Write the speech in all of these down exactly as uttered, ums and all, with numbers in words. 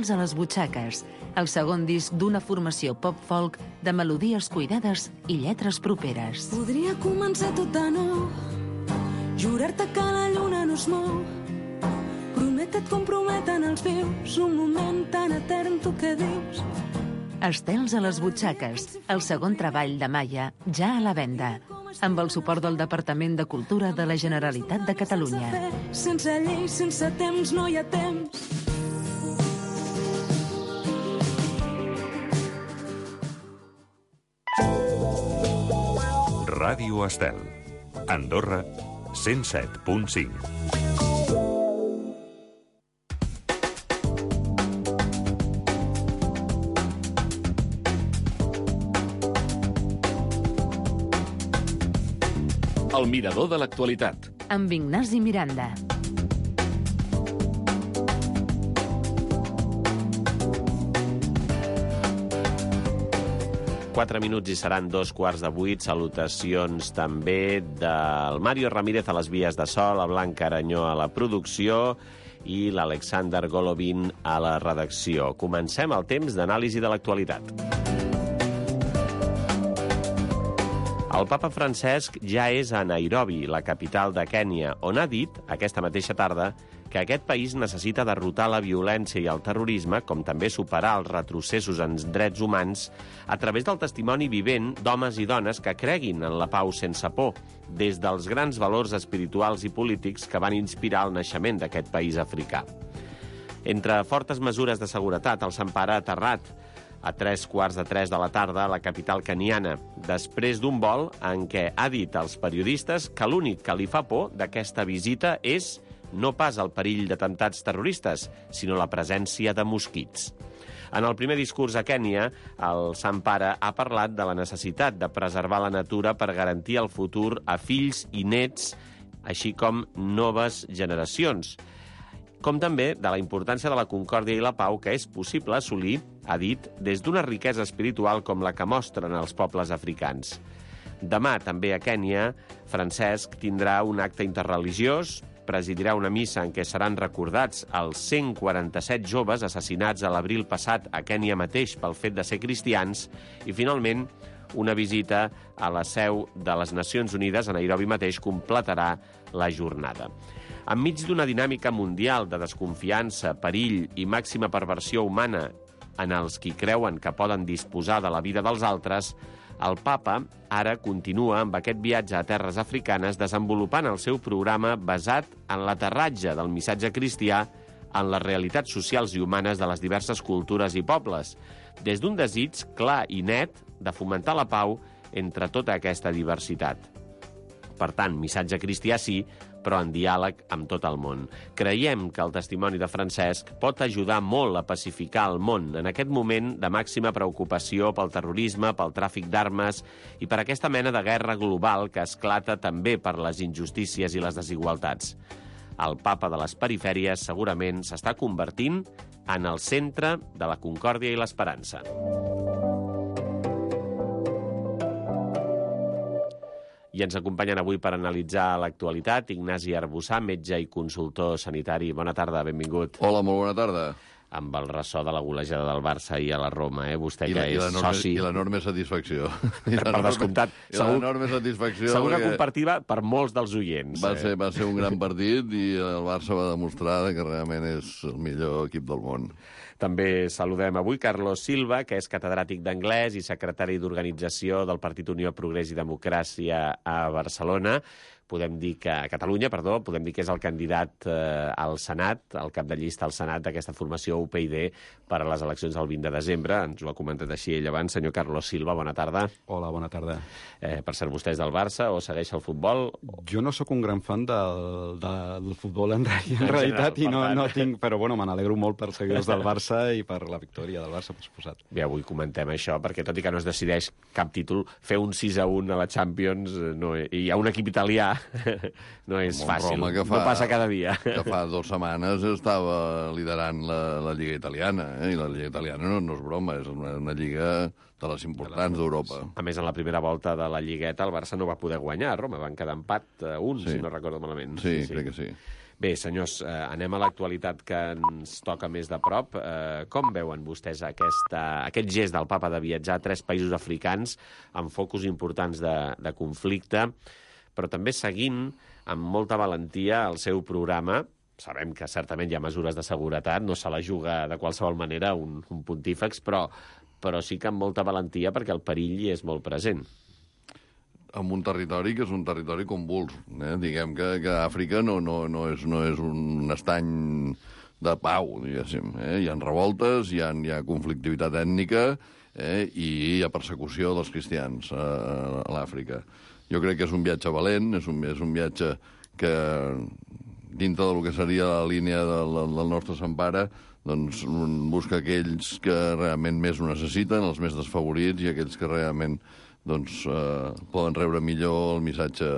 a les butxaques, el segon disc d'una formació pop-folk de melodies cuidades i lletres properes. Podria començar tot de nou, jurar-te que la lluna no es mou, promete't com prometen els vius, un moment tan etern, tu què dius? Estels a les butxaques, el segon treball de Maia, ja a la venda, amb el suport del Departament de Cultura de la Generalitat de Catalunya. Sense llei, sense temps, no hi ha temps. Ràdio Estel, Andorra, cent set punt cinc. El mirador de l'actualitat. Amb Ignasi Miranda. Quatre minuts i seran dos quarts de vuit. Salutacions també del Mario Ramírez a les vies de so, la Blanca Aranyó a la producció i l'Alexander Golovin a la redacció. Comencem el temps d'anàlisi de l'actualitat. El papa Francesc ja és a Nairobi, la capital de Kènia, on ha dit, aquesta mateixa tarda, que aquest país necessita derrotar la violència i el terrorisme, com també superar els retrocessos en drets humans, a través del testimoni vivent d'homes i dones que creguin en la pau sense por, des dels grans valors espirituals i polítics que van inspirar el naixement d'aquest país africà. Entre fortes mesures de seguretat, el Sant Pare ha aterrat a tres quarts de tres de la tarda a la capital keniana, després d'un vol en què ha dit als periodistes que l'únic que li fa por d'aquesta visita és no pas el perill d'atemptats terroristes, sinó la presència de mosquits. En el primer discurs a Kènia, el Sant Pare ha parlat de la necessitat de preservar la natura per garantir el futur a fills i nets, així com noves generacions, com també de la importància de la concòrdia i la pau que és possible assolir, ha dit, des d'una riquesa espiritual com la que mostren els pobles africans. Demà, també a Kènia, Francesc tindrà un acte interreligiós, presidirà una missa en què seran recordats els cent quaranta-set joves assassinats a l'abril passat a Kènia mateix pel fet de ser cristians i, finalment, una visita a la seu de les Nacions Unides a Nairobi mateix completarà la jornada. Enmig d'una dinàmica mundial de desconfiança, perill i màxima perversió humana en els qui creuen que poden disposar de la vida dels altres, el papa ara continua amb aquest viatge a terres africanes desenvolupant el seu programa basat en l'aterratge del missatge cristià en les realitats socials i humanes de les diverses cultures i pobles, des d'un desig clar i net de fomentar la pau entre tota aquesta diversitat. Per tant, missatge cristià sí, però en diàleg amb tot el món. Creiem que el testimoni de Francesc pot ajudar molt a pacificar el món en aquest moment de màxima preocupació pel terrorisme, pel tràfic d'armes i per aquesta mena de guerra global que esclata també per les injustícies i les desigualtats. El papa de les perifèries segurament s'està convertint en el centre de la concòrdia i l'esperança. I ens acompanyen avui per analitzar l'actualitat Ignasi Arbussà, metge i consultor sanitari. Bona tarda, benvingut. Hola, molt bona tarda. Amb el ressò de la golejada del Barça i a la Roma, eh? Vostè I que la, i és soci... I l'enorme satisfacció. Per descomptat. I l'enorme satisfacció. Segur que compartida per molts dels oients. Va ser, va ser un gran partit i el Barça va demostrar que realment és el millor equip del món. També saludem avui Carlos Silva, que és catedràtic d'anglès i secretari d'organització del Partit Unió Progrés i Democràcia a Barcelona. Podem dir que, a Catalunya, perdó, podem dir que és el candidat eh, al Senat, el cap de llista al Senat d'aquesta formació U P I D per a les eleccions del vint de desembre. Ens ho ha comentat així ell abans. Senyor Carlos Silva, bona tarda. Hola, bona tarda. Eh, per ser vostè és del Barça o segueix el futbol? Jo no sóc un gran fan del, del futbol en, en, en realitat i no, no tinc... Però bueno, me n'alegro molt per seguidors del Barça i per la victòria del Barça, per suposat. Bé, avui comentem això, perquè tot i que no es decideix cap títol, fer un sis a un a la Champions no, i hi ha un equip italià no és fàcil, Roma, fa, no passa cada dia. Que fa dues setmanes estava liderant la, la Lliga Italiana, eh? I la Lliga Italiana no, no és broma, és una, una lliga de les importants d'Europa. A més, en la primera volta de la Lligueta el Barça no va poder guanyar a Roma, van quedar empat a un, sí. Si no recordo malament. Sí, sí, crec sí. que sí. Bé, senyors, eh, anem a l'actualitat que ens toca més de prop. Eh, com veuen vostès aquesta, aquest gest del papa de viatjar a tres països africans amb focus importants de, de conflicte, però també seguint amb molta valentia el seu programa? Sabem que certament hi ha mesures de seguretat, no se la juga de qualsevol manera un, un pontífex, però, però sí que amb molta valentia perquè el perill hi és molt present. En un territori que és un territori convuls. Eh? Diguem que, que Àfrica no, no, no, és, no és un estany de pau, diguéssim. Eh? Hi ha revoltes, hi ha, hi ha conflictivitat ètnica eh? i hi ha persecució dels cristians a, a l'Àfrica. Jo crec que és un viatge valent, és un, és un viatge que, dintre del que seria la línia del, del nostre Sant Pare, doncs busca aquells que realment més ho necessiten, els més desfavorits, i aquells que realment doncs, eh, poden rebre millor el missatge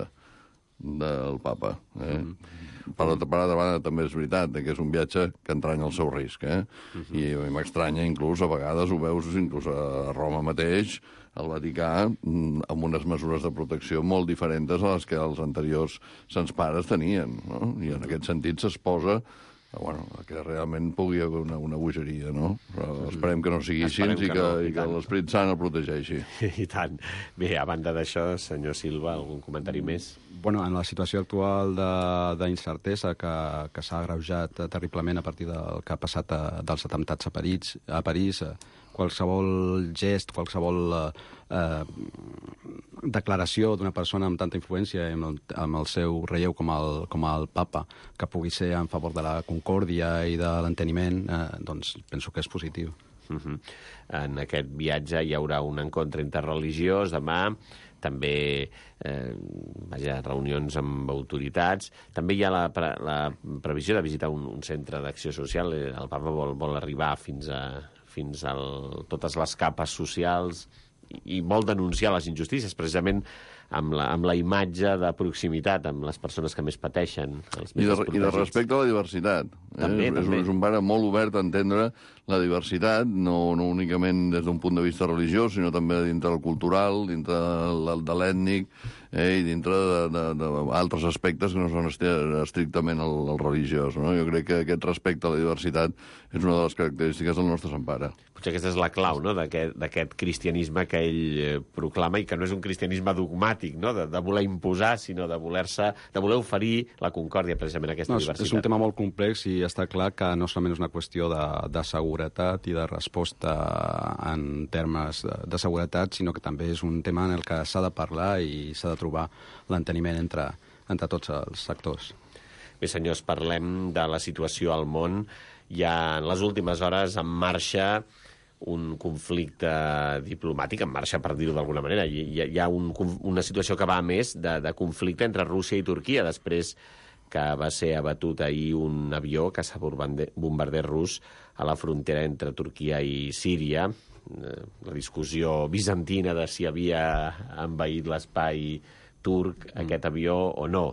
del papa. Eh? Mm-hmm. Per altra banda, també és veritat que és un viatge que entranya el seu risc. Eh? Mm-hmm. I a mi m'estranya, inclús, a vegades ho veus inclús a Roma mateix, al Vaticà, amb unes mesures de protecció molt diferents a les que els anteriors sants pares tenien. No? I en aquest sentit s'exposa bueno, que realment pugui haver una, una bogeria, no? Però esperem que no sigui així i que, no, i que l'Esperit Sant el protegeixi. I tant. Bé, a banda d'això, senyor Silva, algun comentari més? Bueno, en la situació actual d'incertesa que, que s'ha agreujat terriblement a partir del que ha passat a, dels atemptats a París, a París qualsevol gest, qualsevol eh, declaració d'una persona amb tanta influència amb el, amb el seu relleu com el, com el papa, que pugui ser en favor de la concòrdia i de l'enteniment, eh, doncs penso que és positiu. Uh-huh. En aquest viatge hi haurà un encontre interreligiós demà, també eh, vaja, reunions amb autoritats. També hi ha la, pre la previsió de visitar un, un centre d'acció social. El papa vol, vol arribar fins a fins a totes les capes socials i vol denunciar les injustícies, precisament amb la, amb la imatge de proximitat amb les persones que més pateixen. Els més I, de, I de respecte a la diversitat. Eh? També, és, també. És un pare molt obert a entendre la diversitat, no, no únicament des d'un punt de vista religiós, sinó també dintre del cultural, dintre de, de l'ètnic eh? i dintre d'altres aspectes que no són estrictament el, el religiós. No? Jo crec que aquest respecte a la diversitat és una de les característiques del nostre Sant Pare. Potser aquesta és la clau, no?, d'aquest cristianisme que ell proclama i que no és un cristianisme dogmàtic, no?, de, de voler imposar, sinó de voler-se, de voler oferir la concòrdia, precisament, aquesta no, diversitat. És un tema molt complex i està clar que no solament és una qüestió de, de seguretat i de resposta en termes de, de seguretat, sinó que també és un tema en el que s'ha de parlar i s'ha de trobar l'enteniment entre, entre tots els sectors. Bé, senyors, parlem de la situació al món. Hi ha, en les últimes hores, en marxa un conflicte diplomàtic, en marxa, per dir-ho d'alguna manera. Hi, hi ha un, una situació que va a més de, de conflicte entre Rússia i Turquia, després que va ser abatut ahir un avió que s'ha bombarder rus a la frontera entre Turquia i Síria. La discussió bizantina de si havia envaït l'espai turc aquest avió o no.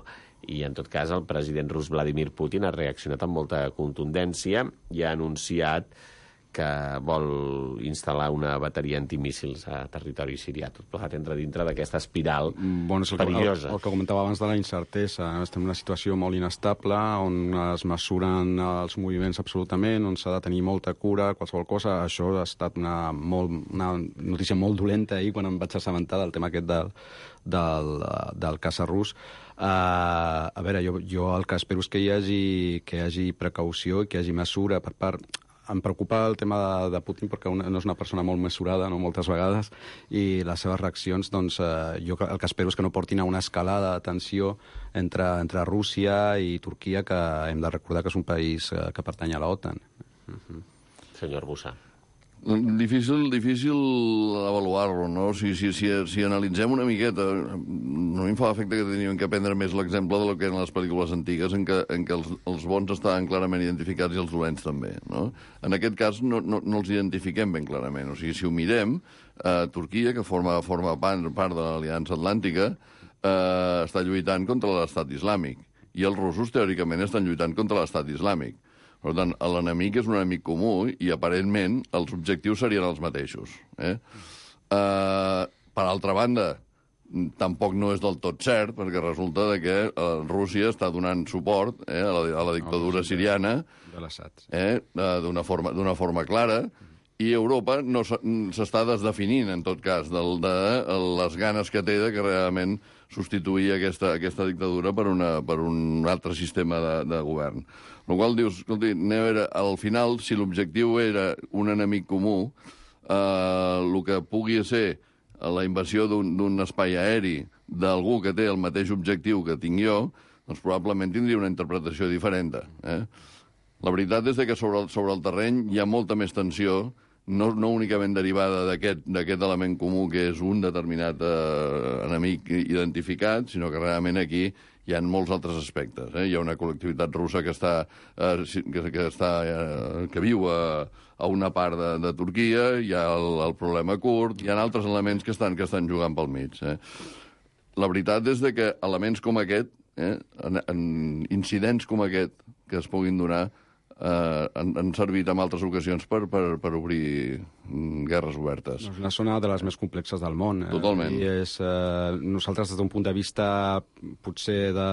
I, en tot cas, el president rus Vladimir Putin ha reaccionat amb molta contundència i ha anunciat que vol instal·lar una bateria antimíssils a territori sirià. Tot plegat entra dintre d'aquesta espiral bueno, és el perillosa. Que, el, el que comentava abans de la incertesa. Estem en una situació molt inestable, on es mesuren els moviments absolutament, on s'ha de tenir molta cura, qualsevol cosa. Això ha estat una, molt, una notícia molt dolenta ahir, quan em vaig assabentar del tema aquest del, del, del caça rus. Uh, a veure, jo, jo el que espero és que hi hagi, que hi hagi precaució i que hi hagi mesura per part... Em preocupa el tema de, de Putin perquè una, no és una persona molt mesurada, no, moltes vegades, i les seves reaccions, doncs, eh, jo el que espero és que no portin a una escalada de tensió entre, entre Rússia i Turquia, que hem de recordar que és un país eh, que pertany a l'OTAN. Uh-huh. Senyor Bussà. Difícil, difícil avaluar-lo, no? Si, si, si, si analitzem una miqueta, no em fa l'efecte que teníem que prendre més l'exemple de lo que eren les pel·lícules antigues, en què, en què els, els bons estaven clarament identificats i els dolents també, no? En aquest cas no, no, no els identifiquem ben clarament. O sigui, si ho mirem, eh, Turquia, que forma, forma part, part de l'Aliança Atlàntica, eh, està lluitant contra l'estat islàmic, i els russos, teòricament, estan lluitant contra l'estat islàmic. Per tant, l'enemic és un enemic comú i, aparentment, els objectius serien els mateixos. Eh? Uh, per altra banda, tampoc no és del tot cert, perquè resulta de que eh, Rússia està donant suport eh, a, la, a la dictadura siriana de l'Assad, eh, d'una forma, d'una forma clara, i Europa no s'està desdefinint, en tot cas, del, de les ganes que té de que realment substituir aquesta, aquesta dictadura per, una, per un altre sistema de, de govern. El qual dius, escolti, veure, al final, si l'objectiu era un enemic comú, eh, el que pugui ser la invasió d'un espai aeri d'algú que té el mateix objectiu que tinc jo, doncs probablement tindria una interpretació diferent. Eh? La veritat és que sobre el, sobre el terreny hi ha molta més tensió, no, no únicament derivada d'aquest element comú que és un determinat eh, enemic identificat, sinó que realment aquí hi ha molts altres aspectes. Eh? Hi ha una col·lectivitat russa que està, eh, que, que, està, eh, que viu a, a una part de, de Turquia, hi ha el, el problema kurd, hi ha altres elements que estan, que estan jugant pel mig. Eh? La veritat és de que elements com aquest, eh, en, en incidents com aquest que es puguin donar, eh, han, han servit en altres ocasions per, per, per obrir guerres obertes. És una zona de les més complexes del món. Eh? Totalment. I és, eh, nosaltres, des d'un punt de vista potser de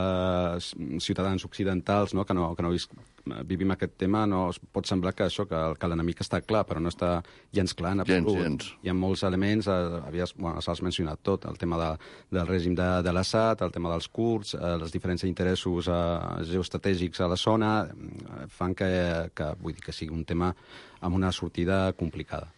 ciutadans occidentals, no? que no, que no vis, vivim aquest tema, no es pot semblar que això, que, que l'enemic està clar, però no està gens clar en absolut. Gens, gens. Hi ha molts elements, eh, havies, bueno, s'has mencionat tot, el tema de, del règim de, de l'Assad, el tema dels kurds, eh, els diferents interessos eh, geoestratègics a la zona, eh, fan que, que, vull dir, que sigui un tema amb una sortida complicada.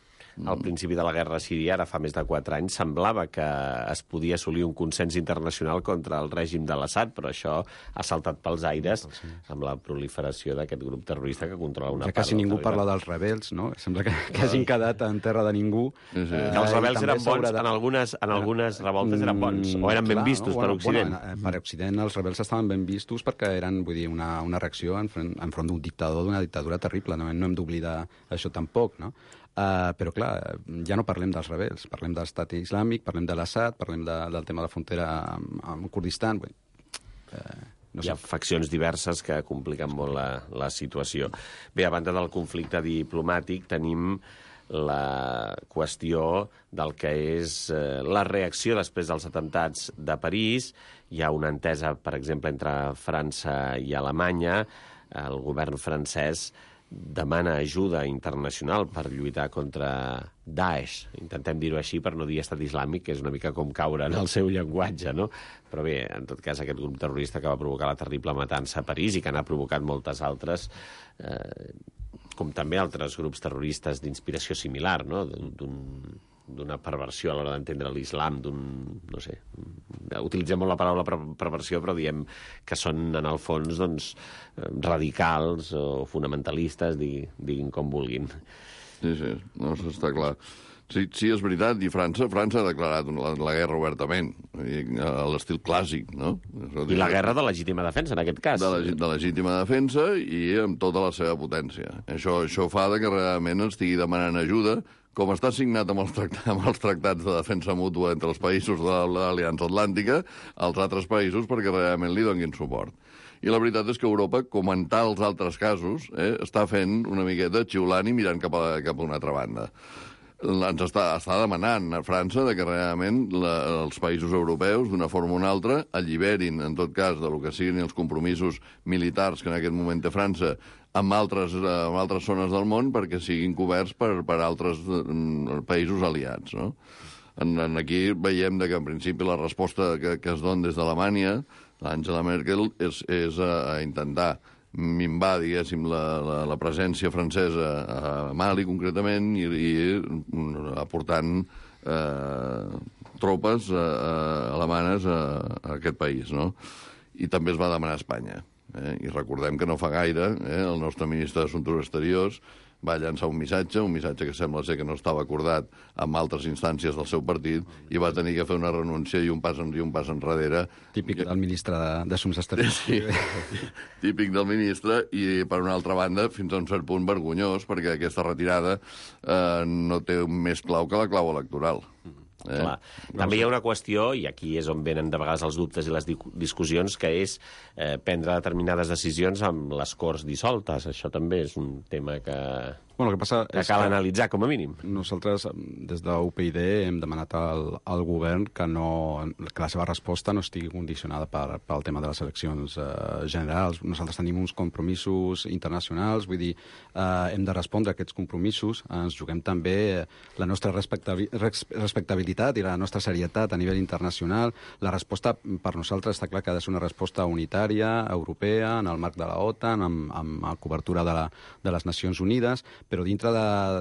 Al principi de la guerra síria, ara fa més de quatre anys, semblava que es podia assolir un consens internacional contra el règim de l'Assad, però això ha saltat pels aires amb la proliferació d'aquest grup terrorista que controla una ja part. quasi ningú parla dels rebels, no? Sembla que, que hagin quedat en terra de ningú. Sí, sí. Eh, que els rebels eren bons, de... en algunes, en algunes revoltes eren bons, o eren ben Clar, vistos no? per bueno, Occident. Bueno, per Occident els rebels estaven ben vistos perquè eren, vull dir, una, una reacció enfront, enfront d'un dictador, d'una dictadura terrible. No, no hem d'oblidar això tampoc, no? Uh, però, clar, ja no parlem dels rebels, parlem de l'estat islàmic, parlem de l'Assad, parlem de, del tema de la frontera amb, amb Kurdistan. Bé, uh, no Hi ha sé. faccions diverses que compliquen molt la, la situació. Bé, a banda del conflicte diplomàtic, tenim la qüestió del que és eh, la reacció després dels atemptats de París. Hi ha una entesa, per exemple, entre França i Alemanya. El govern francès demana ajuda internacional per lluitar contra Daesh. Intentem dir-ho així per no dir estat islàmic, que és una mica com caure en el seu llenguatge, no? Però bé, en tot cas, aquest grup terrorista que va provocar la terrible matança a París i que n'ha provocat moltes altres, eh, com també altres grups terroristes d'inspiració similar, no? D'un d'una perversió a l'hora d'entendre l'islam, d'un, no sé, utilitzem molt la paraula perversió, però diem que són, en el fons, doncs, radicals o fonamentalistes, diguin, diguin com vulguin. Sí, sí, no, està clar. Sí, sí, és veritat, i França, França ha declarat la, la guerra obertament, a l'estil clàssic, no? I la guerra de legítima defensa, en aquest cas. De, la, de legítima defensa i amb tota la seva potència. Això, això fa que realment estigui demanant ajuda, com està signat amb els, tractats, amb els tractats de defensa mútua entre els països de l'Aliança Atlàntica, als altres països perquè realment li donin suport. I la veritat és que Europa, com en tals altres casos, eh, està fent una miqueta xiulant i mirant cap a, cap a una altra banda. Ens està, està demanant a França de que realment la, els països europeus, d'una forma o una altra, alliberin, en tot cas, de lo que siguin els compromisos militars que en aquest moment té França amb altres, amb altres zones del món perquè siguin coberts per, per altres mm, països aliats, no? En, en aquí veiem que, en principi, la resposta que, que es dona des d'Alemanya, l'Angela Merkel, és, és a, a intentar minvar, diguéssim, la, la, la presència francesa a Mali, concretament, i, i aportant eh, tropes eh, alemanes a, a aquest país, no? I també es va demanar a Espanya. Eh? I recordem que no fa gaire eh, el nostre ministre d'Assumptes Exteriors va llançar un missatge, un missatge que sembla ser que no estava acordat amb altres instàncies del seu partit i va tenir que fer una renúncia i un pas, en, i un pas enrere. Típic del ministre d'Assumptes Exteriors. Sí, típic del ministre i, per una altra banda, fins a un cert punt vergonyós, perquè aquesta retirada eh, no té més clau que la clau electoral. Eh? Clar. També hi ha una qüestió, i aquí és on venen de vegades els dubtes i les discussions, que és eh, prendre determinades decisions amb les Corts dissoltes. Això també és un tema que, Bueno, el que passa que és cal que analitzar, com a mínim. nosaltres, des de U P y D, hem demanat al, al govern que, no, que la seva resposta no estigui condicionada per, pel tema de les eleccions eh, generals. Nosaltres tenim uns compromisos internacionals, vull dir, eh, hem de respondre a aquests compromisos. Ens juguem també la nostra respectabi respectabilitat i la nostra serietat a nivell internacional. La resposta, per nosaltres, està clar que ha de ser una resposta unitària, europea, en el marc de la OTAN, amb, amb la cobertura de, la, de les Nacions Unides, però dintre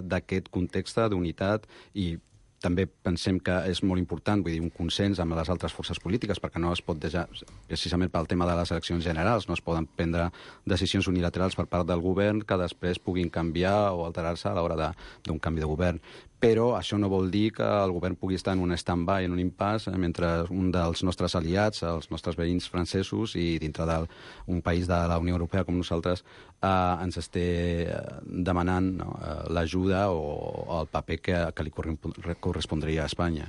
d'aquest context d'unitat, i també pensem que és molt important, vull dir, un consens amb les altres forces polítiques, perquè no es pot deixar, precisament pel tema de les eleccions generals, no es poden prendre decisions unilaterals per part del govern que després puguin canviar o alterar-se a l'hora d'un canvi de govern. Però això no vol dir que el govern pugui estar en un stand-by, en un impàs, eh, mentre un dels nostres aliats, els nostres veïns francesos, i dintre d'un país de la Unió Europea com nosaltres, eh, ens esté demanant, no, l'ajuda o el paper que, que li correspondria a Espanya.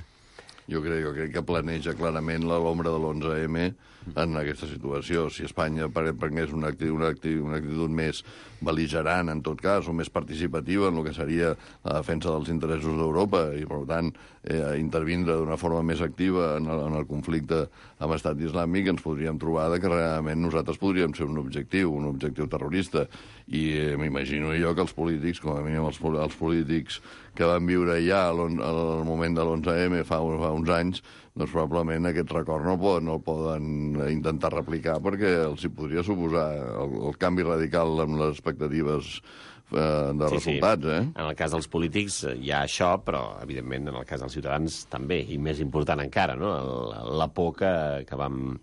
Jo crec, jo crec que planeja clarament l'ombra de l'onze eme en aquesta situació. Si Espanya prengués una actitud, una, actitud, una actitud més bel·ligerant, en tot cas, o més participativa en el que seria la defensa dels interessos d'Europa i, per tant, eh, intervindre d'una forma més activa en el, en el conflicte amb Estat Islàmic, ens podríem trobar que realment nosaltres podríem ser un objectiu, un objectiu terrorista. I eh, m'imagino jo que els polítics, com a mínim els, els polítics que van viure ja al, al moment de l'onze eme fa, fa uns anys, doncs probablement aquest record no el poden, no el poden intentar replicar perquè els hi podria suposar el, el canvi radical amb les expectatives eh, de sí, resultats. Sí. Eh? En el cas dels polítics hi ha això, però evidentment en el cas dels ciutadans també, i més important encara, no? El, la por que, que vam...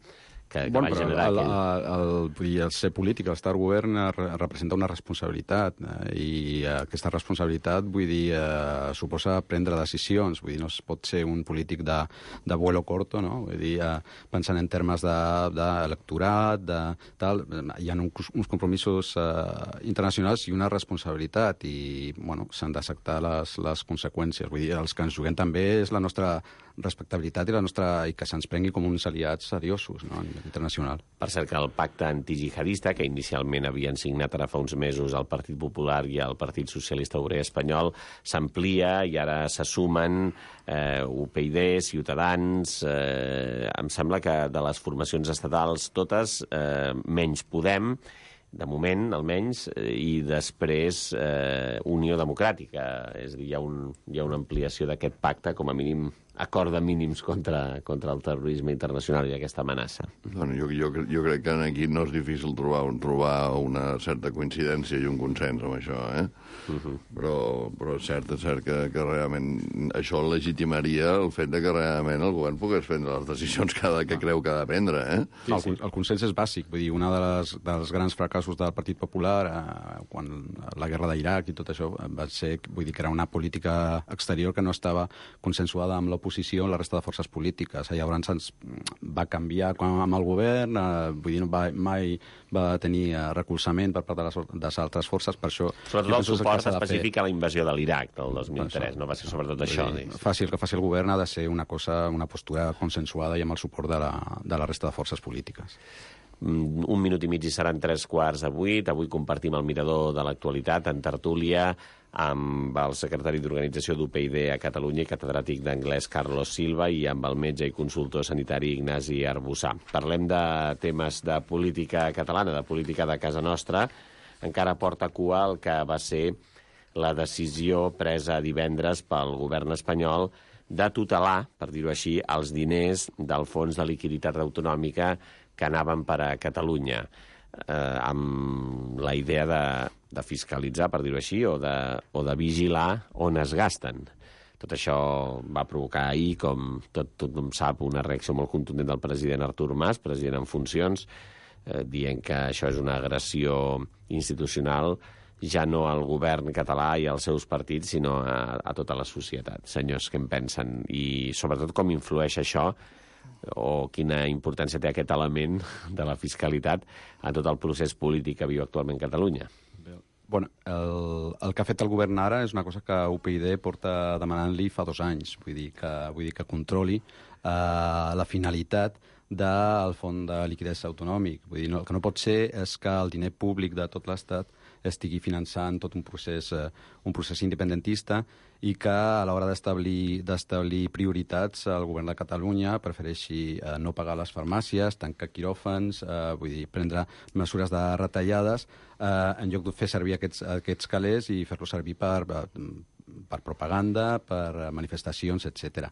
Que, que bueno, va però generar el, aquell... el, el, vull dir, el ser polític, el estar al govern, re, representa una responsabilitat, eh, i aquesta responsabilitat, vull dir, eh, suposa prendre decisions, vull dir, no es pot ser un polític de, de vuelo corto, no? Vull dir, eh, pensant en termes d'electorat, de, de tal, hi ha uns, uns compromisos eh, internacionals i una responsabilitat, i, bueno, s'han d'acceptar les, les conseqüències. Vull dir, els que ens juguem també és la nostra respectabilitat i la nostra i que se'ns prengui com uns aliats seriosos, no, a nivell internacional. Per cert, que el pacte antijihadista, que inicialment havien signat ara fa uns mesos el Partit Popular i el Partit Socialista Obrer Espanyol, s'amplia i ara se sumen eh, U P y D, Ciutadans... Eh, em sembla que de les formacions estatals totes, eh, menys Podem, de moment, almenys, i després eh, Unió Democràtica. És a dir, hi ha, un, hi ha una ampliació d'aquest pacte, com a mínim acord de mínims contra, contra el terrorisme internacional i aquesta amenaça. Bueno, jo, jo, jo crec que aquí no és difícil trobar, un, trobar una certa coincidència i un consens amb això, eh? Uh -huh. però, però és cert, és cert que, que realment això legitimaria el fet de que realment el govern pogués prendre les decisions que, que creu que ha de prendre, eh? Sí, sí. El, el consens és bàsic, vull dir, una de les, dels grans fracassos del Partit Popular, eh, quan la guerra d'Iraq i tot això, va ser, vull dir, que era una política exterior que no estava consensuada amb l'oposició, la resta de forces polítiques. Llavors ens va canviar amb el govern, eh, vull dir, no va, mai va tenir eh, recolzament per part de les, de les altres forces, per això... Sobretot el suport específic a la invasió de l'Iraq del dos mil tres, no va ser sobretot això. Dir, faci el que faci el govern ha de ser una cosa, una postura consensuada i amb el suport de la, de la resta de forces polítiques. Un minut i mig i seran tres quarts de vuit. Avui compartim el mirador de l'actualitat en tertúlia amb el secretari d'Organització d'U P y D a Catalunya i catedràtic d'anglès Carlos Silva i amb el metge i consultor sanitari Ignasi Arbussà. Parlem de temes de política catalana, de política de casa nostra. Encara porta cua el que va ser la decisió presa divendres pel govern espanyol de tutelar, per dir-ho així, els diners del Fons de Liquiditat Autonòmica que anaven per a Catalunya, eh, amb la idea de, de fiscalitzar, per dir-ho així, o de, o de vigilar on es gasten. Tot això va provocar ahir, com tot, tothom sap, una reacció molt contundent del president Artur Mas, president en funcions, eh, dient que això és una agressió institucional ja no al govern català i als seus partits, sinó a, a tota la societat. Senyors, què en pensen? I sobretot com influeix això o quina importància té aquest element de la fiscalitat en tot el procés polític que viu actualment Catalunya? Bueno, el, el que ha fet el govern ara és una cosa que U P y D porta demanant-li fa dos anys. Vull dir que, vull dir que controli eh, la finalitat del Fons de Liquiditat Autonòmic. Vull dir, no, el que no pot ser és que el diner públic de tot l'Estat estigui finançant tot un procés, eh, un procés independentista i que a l'hora d'establir d'establir prioritats el govern de Catalunya prefereixi eh, no pagar les farmàcies, tancar quiròfans, eh, vull dir, prendre mesures de retallades eh, en lloc de fer servir aquests, aquests calés i fer-los servir per, per propaganda, per manifestacions, etcètera.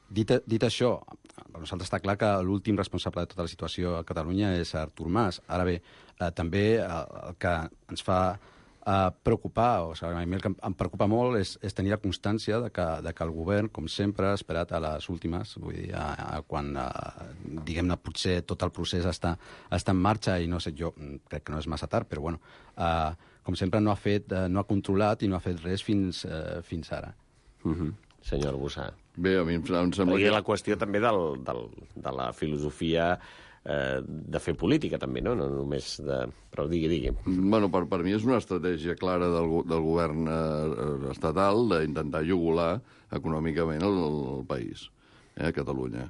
Dit, dit això, per nosaltres està clar que l'últim responsable de tota la situació a Catalunya és Artur Mas. Ara bé, eh, també eh, el que ens fa eh, preocupar, o sigui, a mi el que em preocupa molt és, és tenir la constància de que, de que el govern, com sempre, ha esperat a les últimes, vull dir, a, a quan, a, diguem-ne, potser tot el procés està, està en marxa i no sé, jo crec que no és massa tard, però bueno, eh, com sempre no ha fet, eh, no ha controlat i no ha fet res fins, eh, fins ara. Mm-hmm. Senyor Arbussà. Bé, a mi em sembla que... que... la qüestió també del, del, de la filosofia eh, de fer política, també, no? No només de... Però digui, digui. Bueno, per, per mi és una estratègia clara del, del govern eh, estatal d'intentar jugular econòmicament el, el país, eh, Catalunya.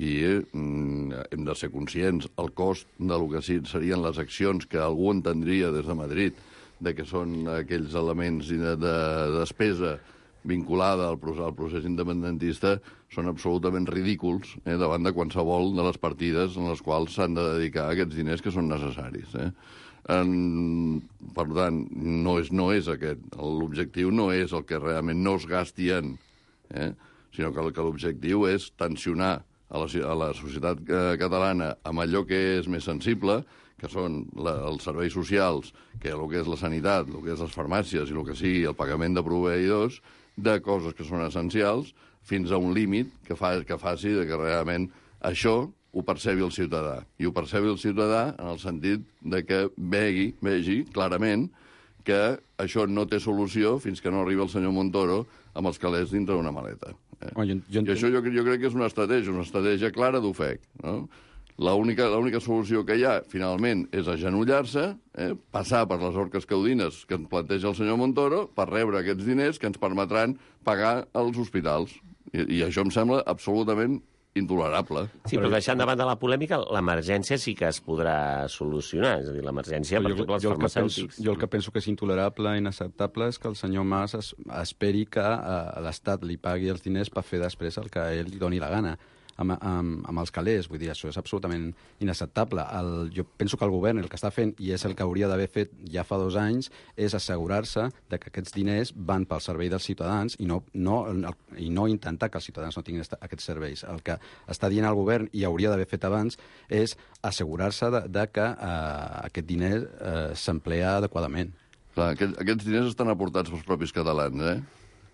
I mm, hem de ser conscients, el cost del que sí serien les accions que algú entendria des de Madrid, de que són aquells elements de, de despesa vinculada al procés, al procés independentista són absolutament ridículs eh, davant de qualsevol de les partides en les quals s'han de dedicar aquests diners que són necessaris. Eh? En, per tant, no és, no és aquest. L'objectiu no és el que realment no es gasti en, eh? sinó que, que l'objectiu és tensionar a la, a la societat catalana amb allò que és més sensible, que són la, els serveis socials, que el que és la sanitat, el que és les farmàcies i el que sigui el pagament de proveïdors, de coses que són essencials, fins a un límit que, fa, que faci de que realment això ho percebi el ciutadà. I ho percebi el ciutadà en el sentit de que vegi, vegi clarament que això no té solució fins que no arribi el senyor Montoro amb els calés dintre d'una maleta. Eh? Oh, jo, jo I això jo, jo crec que és una estratègia, una estratègia clara d'ofec, no? L'única l'única solució que hi ha, finalment, és agenollar-se, eh, passar per les orques caudines que ens planteja el senyor Montoro per rebre aquests diners que ens permetran pagar els hospitals. I, i això em sembla absolutament intolerable. Sí, però deixant de banda la polèmica, l'emergència sí que es podrà solucionar. És a dir, l'emergència, per exemple, els farmacèutics... Jo el que penso que és intolerable i inacceptable és que el senyor Mas es, esperi que uh, l'Estat li pagui els diners per fer després el que ell li doni la gana. Amb, amb, amb els calés, vull dir, això és absolutament inacceptable. El, jo penso que el govern el que està fent, i és el que hauria d'haver fet ja fa dos anys, és assegurar-se de que aquests diners van pel servei dels ciutadans i no, no, i no intentar que els ciutadans no tinguin aquests serveis. El que està dient el govern, i hauria d'haver fet abans, és assegurar-se de, de que eh, aquest diner eh, s'emplea adequadament. Clar, aquest, aquests diners estan aportats pels propis catalans, eh?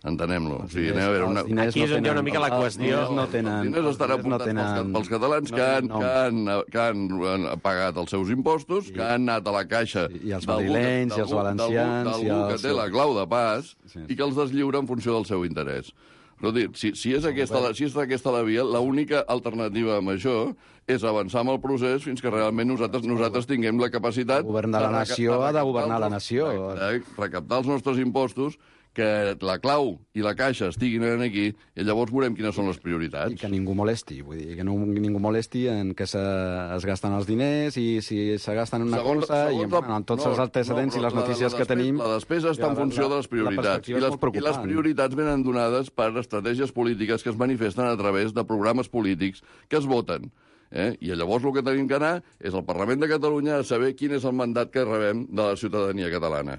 Entenem-lo. O sigui, anem a veure una... Aquí és on hi ha una mica la qüestió. Els diners no tenen... Els diners estan aportats no tenen... pels, pels catalans que, han, que, han, que han pagat els seus impostos, que han anat a la caixa... I els madrilenys, i els valencians... D'algú que té la clau de pas sí. i que els deslliura en funció del seu interès. Però dir, si, si, és aquesta, la, si és aquesta la via, l'única alternativa amb això és avançar amb el procés fins que realment nosaltres nosaltres tinguem la capacitat... El govern de la nació ha de governar la nació. Recaptar els nostres impostos, que la clau i la caixa estiguin aquí, i llavors veurem quines són les prioritats. I que ningú molesti, vull dir, que no, ningú molesti en què se, es gasten els diners i si se gasten en una segons, cosa segons i bueno, amb tots no, els antecedents no, i les notícies la, la que tenim... La despesa està en funció la, de les prioritats. I les, I les prioritats venen donades per estratègies polítiques que es manifesten a través de programes polítics que es voten. Eh? I llavors el que tenim que anar és al Parlament de Catalunya a saber quin és el mandat que rebem de la ciutadania catalana.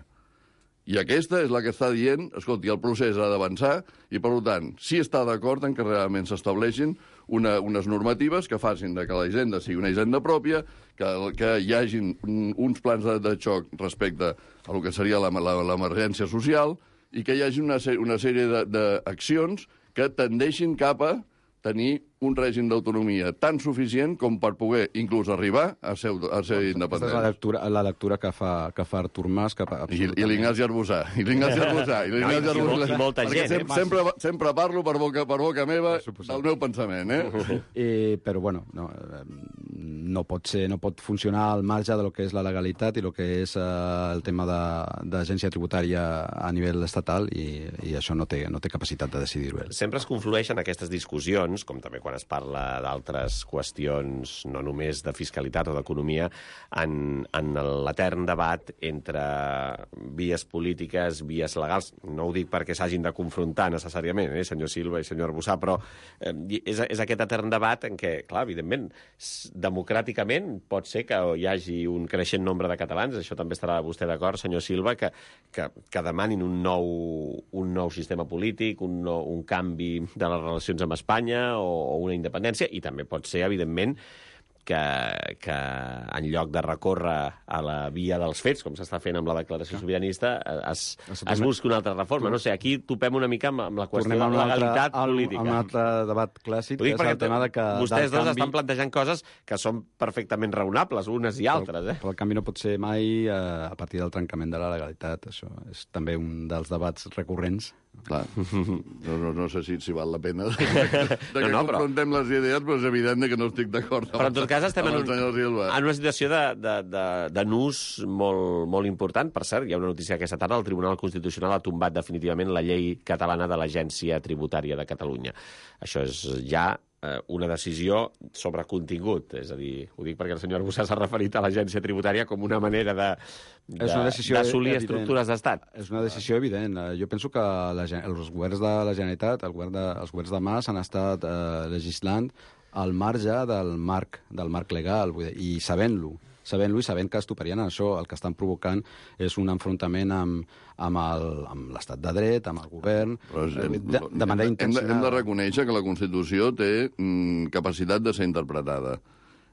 I aquesta és la que està dient, escolti, el procés ha d'avançar i, per tant, sí està d'acord en que realment s'estableixin una, unes normatives que facin de que la hisenda sigui una hisenda pròpia, que, que hi hagin uns plans de, de xoc respecte a el que seria l'emergència social i que hi hagi una, una sèrie d'accions que tendeixin cap a tenir un règim d'autonomia tan suficient com per poder inclús arribar a ser, a ser independents. Aquesta és la lectura, la lectura que fa, que fa Artur Mas. Que fa I, I l'Ignasi Arbussà. I l'Ignasi Arbussà. I l'Ignasi Arbussà. I molta gent, sempre, eh? sempre, sempre parlo per boca, per boca meva del meu pensament, eh? eh però, bueno, no, no pot ser, no pot funcionar al marge de lo que és la legalitat i el que és eh, el tema d'agència tributària a nivell estatal, i, i això no té, no té capacitat de decidir-ho. Sempre es conflueixen aquestes discussions, com també quan es parla d'altres qüestions, no només de fiscalitat o d'economia, en, en l'etern debat entre vies polítiques, vies legals. No ho dic perquè s'hagin de confrontar necessàriament, eh, senyor Silva i senyor Arbussà, però eh, és, és aquest etern debat en què, clar, evidentment, democràticament pot ser que hi hagi un creixent nombre de catalans, això també estarà vostè d'acord, senyor Silva, que, que, que demanin un nou, un nou sistema polític, un, nou, un canvi de les relacions amb Espanya o, o una independència, i també pot ser, evidentment, que, que en lloc de recórrer a la via dels fets, com s'està fent amb la declaració sobiranista, es, es busca una altra reforma. No sé, aquí topem una mica amb, amb la qüestió de la legalitat altre, política. Al, un altre debat clàssic, que és el tema de que... Vostès dos canvi... estan plantejant coses que són perfectament raonables, unes i altres. Eh? Però el canvi no pot ser mai eh, a partir del trencament de la legalitat. Això és també un dels debats recurrents. Clar, no, no, no sé si, si val la pena de, de, de que no, no, confrontem però... les idees, però és evident que no estic d'acord. Però en tot cas estem en, un, en una situació de, de, de, de nus molt, molt important. Per cert, hi ha una notícia aquesta tarda, el Tribunal Constitucional ha tombat definitivament la llei catalana de l'Agència Tributària de Catalunya. Això és ja una decisió sobre contingut. És a dir, ho dic perquè el senyor Arbussà s'ha referit a l'agència tributària com una manera de, de, d'assolir estructures d'estat. És una decisió evident. Jo penso que la, els governs de la Generalitat, el govern de, els governs de Mas han estat eh, legislant al marge del marc, del marc legal, vull dir, i sabent-lo. sabent-lo i sabent que estuparien això. El que estan provocant és un enfrontament amb, amb, el, amb l'estat de dret, amb el govern, és, de, de manera intencionada. Hem de, hem de reconèixer que la Constitució té mm, capacitat de ser interpretada.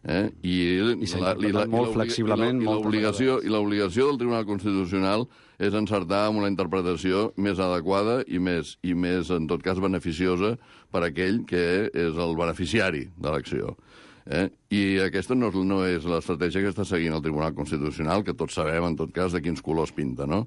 Eh? I, I s'ha interpretat molt flexiblement. I l'obligació i l'obligació del Tribunal Constitucional és encertar amb una interpretació més adequada i més, i més, en tot cas, beneficiosa per a aquell que és el beneficiari de l'acció. Eh? I aquesta no, no és l'estratègia que està seguint el Tribunal Constitucional, que tots sabem, en tot cas, de quins colors pinta, no?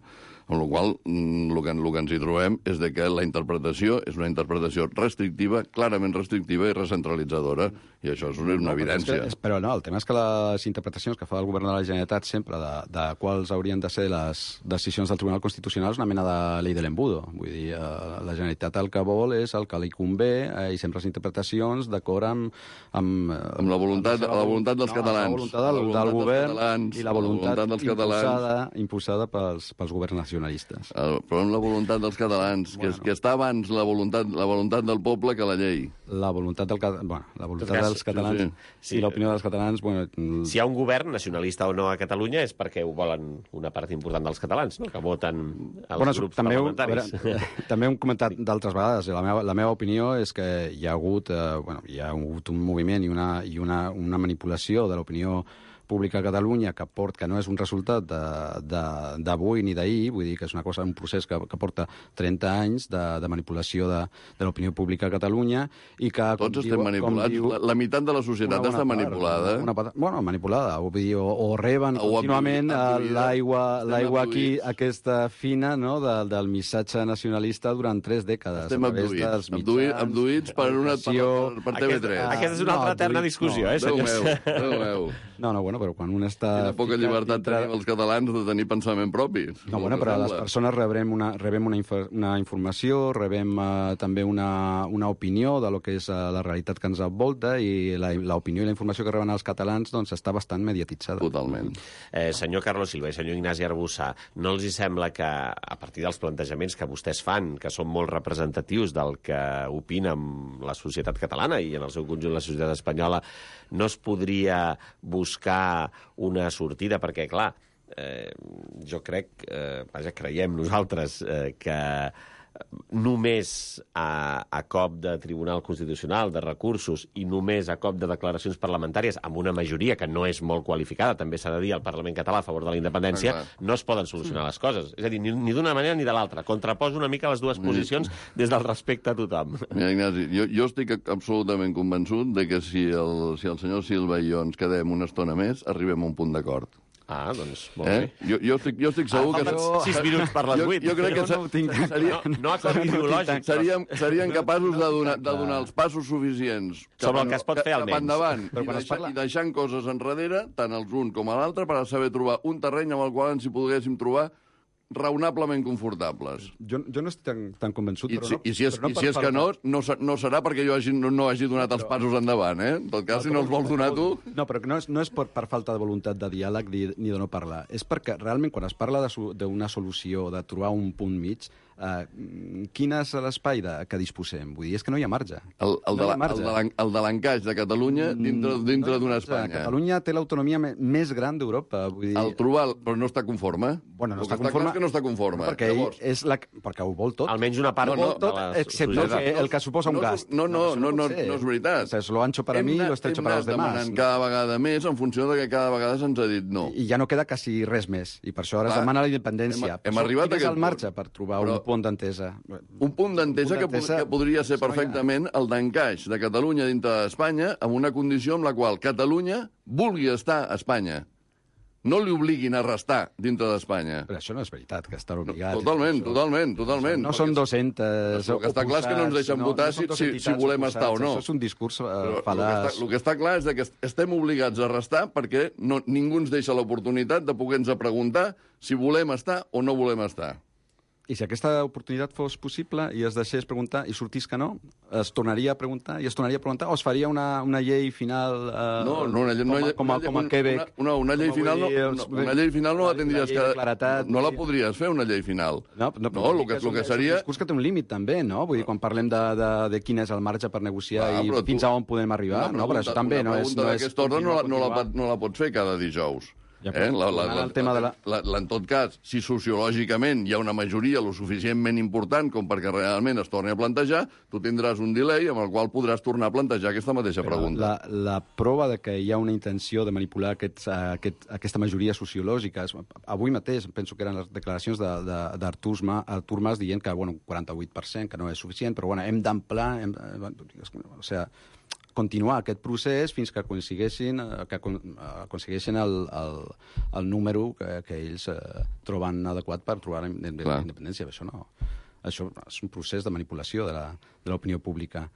Amb la qual cosa, el que, el que ens hi trobem és de que la interpretació és una interpretació restrictiva, clarament restrictiva i recentralitzadora, i això és una, una evidència. No, però, és que, però no, el tema és que les interpretacions que fa el govern de la Generalitat sempre de, de quals haurien de ser les decisions del Tribunal Constitucional és una mena de llei de l'embudo. Vull dir, eh, la Generalitat el que vol és el que li convé, eh, i sempre les interpretacions d'acord amb... Amb, amb la voluntat, la voluntat dels no, catalans. La voluntat del, la voluntat del govern catalans, i la voluntat, la voluntat imposada, imposada pels, pels governs nacionals. El, però amb la voluntat dels catalans, bueno. que, que està abans la voluntat, la voluntat del poble que la llei. La voluntat, del, bueno, la voluntat cas, dels catalans sí, sí. i l'opinió dels catalans... Bueno, si hi ha un govern, nacionalista o no a Catalunya, és perquè ho volen una part important dels catalans, no? Que voten els bueno, grups també parlamentaris. Ho, veure, també hem comentat d'altres vegades. La meva, la meva opinió és que hi ha hagut, eh, bueno, hi ha hagut un moviment i una, i una, una manipulació de l'opinió pública a Catalunya que, port, que no és un resultat d'avui ni d'ahir, vull dir que és una cosa, un procés que, que porta trenta anys de, de manipulació de, de l'opinió pública a Catalunya i que... Tots estem diu, manipulats. Diu, la, la meitat de la societat està part, manipulada. Una, una, bueno, manipulada. O, dir, o, o reben o contínuament l'aigua l'aigua aquí, aquesta fina, no?, de, del missatge nacionalista durant tres dècades. Estem abduïts, abduïts, abduïts per, una, per, per T V tres. Aquesta, aquesta és una altra no, eterna discussió, no, eh, senyors? Déu meu, Déu meu. No, no, bueno, però quan un està... Quina poca llibertat dintre... tenim els catalans de tenir pensament propi. No, bueno, però les persones rebem una, rebem una, inf una informació, rebem uh, també una, una opinió de lo que és uh, la realitat que ens envolta i l'opinió i la informació que reben els catalans doncs està bastant mediatitzada. Totalment. Eh, senyor Carlos Silva i senyor Ignasi Arbussà, no els hi sembla que, a partir dels plantejaments que vostès fan, que són molt representatius del que opina la societat catalana i en el seu conjunt la societat espanyola, no es podria buscar una sortida? Perquè, clar, eh, jo crec, eh, vaja, creiem nosaltres eh, que només a, a cop de Tribunal Constitucional, de recursos, i només a cop de declaracions parlamentàries, amb una majoria que no és molt qualificada, també s'ha de dir, al Parlament català a favor de la independència, ah, no es poden solucionar les coses. És a dir, ni, ni d'una manera ni de l'altra. Contraposo una mica les dues posicions des del respecte a tothom. Mira, Ignasi, jo, jo estic absolutament convençut de que si el, si el senyor Silva i jo ens quedem una estona més, arribem a un punt d'acord. Ah, doncs molt Eh? bé. Jo, jo, estic, jo estic segur Ah, que... falten sis minuts per les Jo- vuit. Jo crec que Jo no ho tinc. seria, No, no acord ideològic. seríem, seríem capaços de donar, de donar els passos suficients cap Sobre el en- que es pot fer, cap almenys. endavant, Però i, quan es deixar, parla- i deixant coses enrere, tant els un com a l'altre, per a saber trobar un terreny amb el qual ens hi poguéssim trobar raonablement confortables. Jo, jo no estic tan, tan convençut, I, però si, no, i si és, però no i per si és que falta- no, no, se- no serà perquè jo hagi, no, no hagi donat els passos endavant, eh? En tot cas, si no els vols donar tu... No, però no és, no és per, per falta de voluntat de diàleg ni, ni de no parlar. És perquè realment quan es parla de su- d'una solució, de trobar un punt mig, eh, quin és l'espai de, que disposem? Vull dir, és que no hi ha marge. El, el, No de, hi ha la, el, marge. de l'en- el de l'encaix de Catalunya dintre, Mm, dintre no hi ha d'una marge. Espanya. Catalunya té l'autonomia me- més gran d'Europa. Vull dir... El trobar, però no està conforme. Bueno, no el està que està conforme. clar és que no està conforme. Perquè, Llavors, ell és la, perquè ho vol tot. Almenys una part No, no, de tot, la excepte societat. el que, el que suposa un no, gast. No, no, això no, no, pot ser. no és veritat. O sea, es lo ancho para Hem mí, anat- lo estrecho hem para anat los demás. demanant cada vegada més en funció de que cada vegada se'ns ha dit no. I ja no queda quasi res més. I per això ara Clar, es demana la independència. hem- hem Per això, arribat quin a és aquest el marge punt. per trobar Però- un punt d'entesa? Un punt d'entesa Un que, punt d'entesa, pod- que podria ser això no hi ha. perfectament el d'encaix de Catalunya dintre d'Espanya amb una condició amb la qual Catalunya vulgui estar a Espanya. No li obliguin a restar dintre d'Espanya. Però això no és veritat, que estan obligats. Totalment, Això- totalment, totalment. No són Perquè- dos-centes El que està clar és que no ens deixen oposats, votar no si- són dos si- si entitats volem oposats. estar o no. Això és un discurs uh, Però el que, fal·laç. està, el que està clar és de que est- estem obligats a restar perquè no, ningú ens deixa l'oportunitat de poder-nos preguntar si volem estar o no volem estar. I si aquesta oportunitat fos possible i es deixés preguntar i sortís que no, es tornaria a preguntar i es tornaria a preguntar o es faria una, una llei final eh, No, no, una, llei- com, a, una, com, a, una, com a Quebec. Una, una, una llei Com a final no, vull dir, una, els- una llei final no la la tindries llei de que... claretat, no la sí. podries fer, una llei final. No, no, no el que, és el un- que és un seria... discurs que té un límit, també, no? Vull dir, quan parlem de, de, de quin és el marge per negociar Ah, i però tu- fins a on podem arribar, Una no? Però això també no és... Una No pregunta és d'aquesta ordre no, la, no, la, continuar, no la pots fer cada dijous. Ja, eh? però la, la, tornant la, al tema de la- la, la, en tot cas, si sociològicament hi ha una majoria lo suficientment important com perquè realment es torni a plantejar, tu tindràs un delay amb el qual podràs tornar a plantejar aquesta mateixa Però pregunta. La, la prova de que hi ha una intenció de manipular aquests, aquest, aquesta majoria sociològica... és- Avui mateix penso que eren les declaracions de- de- d'Artur Ma- Artur Mas dient que bueno, un quaranta-vuit per cent, que no és suficient, però bueno, hem d'ampliar... Hem, o sigui, continuar aquest procés fins que aconsegueixin, eh, que acon- aconsegueixin el, el, el número que, que ells eh, troben adequat per trobar la inde- Clar. la independència. Això no... Això és un procés de manipulació de la- de l'opinió pública.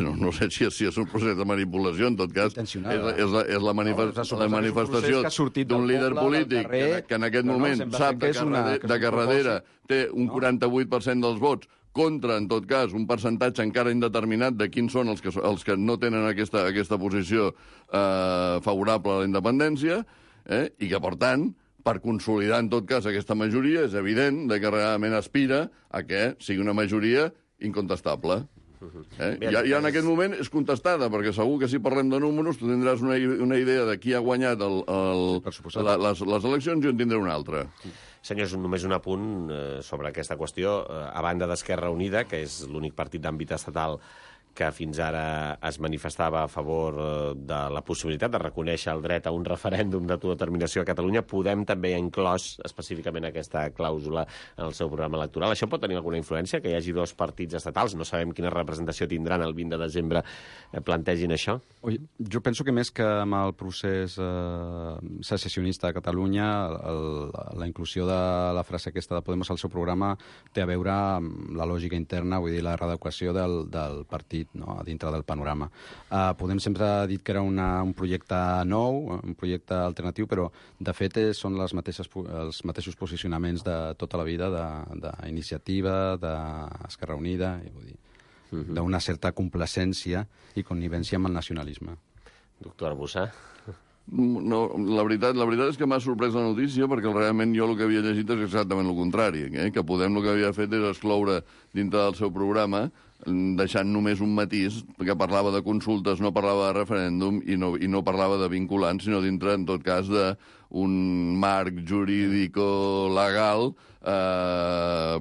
No, no sé si, si és un procés de manipulació, en tot cas, és, Intencionada. és, la, és la, manifest, No, és la manifestació d'un líder polític que, que en aquest no, no, moment sembla sap que de és que, una- darrere, que és de un que darrere propòsit. té un quaranta-vuit per cent dels vots contra, en tot cas, un percentatge encara indeterminat de quins són els que, els que no tenen aquesta, aquesta posició eh, favorable a la independència, eh, i que, per tant, per consolidar, en tot cas, aquesta majoria, és evident de que realment aspira a que sigui una majoria incontestable. Eh? Ja, ja en aquest moment és contestada, perquè segur que si parlem de números tu tindràs una, una idea de qui ha guanyat el, el, Sí, per suposat. la, les, les eleccions i en tindré una altra. Senyors, només un apunt eh, sobre aquesta qüestió. Eh, a banda d'Esquerra Unida, que és l'únic partit d'àmbit estatal que fins ara es manifestava a favor eh, de la possibilitat de reconèixer el dret a un referèndum d'autodeterminació a Catalunya, Podem també ha inclòs específicament aquesta clàusula en el seu programa electoral. Això pot tenir alguna influència, que hi hagi dos partits estatals? No sabem quina representació tindran el vint de desembre, eh, plantegin això? Oi, jo penso que més que amb el procés eh, secessionista a Catalunya, el, la inclusió de la frase aquesta de Podemos al seu programa té a veure amb la lògica interna, vull dir, la readequació del, del partit, no?, a dintre del panorama. Uh, Podem sempre ha dit que era una, un projecte nou, un projecte alternatiu, però de fet és, són les mateixes, els mateixos posicionaments de tota la vida d'iniciativa, d'Esquerra Unida, i vull dir, uh-huh. d'una certa complacència i connivència amb el nacionalisme. Doctor Arbussà? No, la veritat, la veritat és que m'ha sorprès la notícia perquè realment jo el que havia llegit és exactament el contrari, eh? Que Podem el que havia fet és excloure dintre del seu programa, deixant només un matís, que parlava de consultes, no parlava de referèndum i no, i no parlava de vinculants, sinó dintre, en tot cas, d'un marc jurídico-legal eh,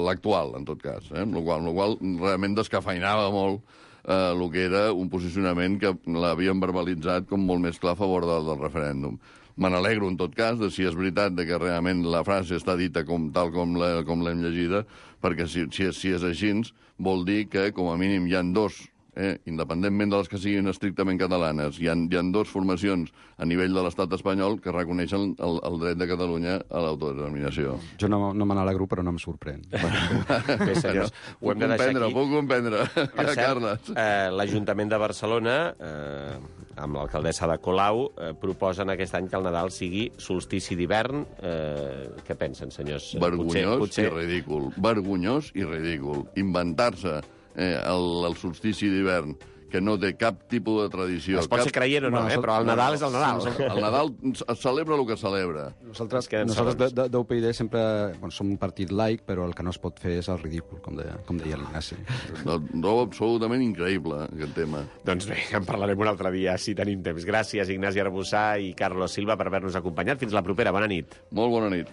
l'actual, en tot cas, eh? Amb la qual, amb la qual realment descafeinava molt eh, el que era un posicionament que l'havien verbalitzat com molt més clar a favor del, del referèndum. Me n'alegro, en tot cas, de si és veritat de que realment la frase està dita com, tal com l'hem llegida, perquè si, si, és, si és així, vol dir que, com a mínim, hi ha dos eh, independentment de les que siguin estrictament catalanes, hi ha, hi ha dues formacions a nivell de l'estat espanyol que reconeixen el, el dret de Catalunya a l'autodeterminació. Jo no, no me n'alegro, però no em sorprèn. Bé, senyors, ho Puc hem de deixar comprendre, aquí. puc comprendre. Per Ja, cert, Carles. eh, l'Ajuntament de Barcelona, eh, amb l'alcaldessa de Colau, eh, proposen aquest any que el Nadal sigui solstici d'hivern. Eh, què pensen, senyors? Vergonyós potser, potser... i ridícul. Vergonyós i ridícul. Inventar-se eh, el, el solstici d'hivern, que no té cap tipus de tradició. Es pot cap... ser creient o no, eh? Però el Nadal és el Nadal. El Nadal es celebra el que celebra. Nosaltres, Queden nosaltres de, segons. de, d'U P I D sempre bueno, som un partit laic, però el que no es pot fer és el ridícul, com deia, com deia l'Ignasi. No, no, absolutament increïble, aquest tema. Doncs bé, en parlarem un altre dia, si tenim temps. Gràcies, Ignasi Arbussà i Carlos Silva, per haver-nos acompanyat. Fins la propera. Bona nit. Molt bona nit.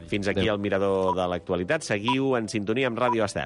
Fins aquí el Mirador de l'Actualitat. Seguiu en sintonia amb Ràdio Estel.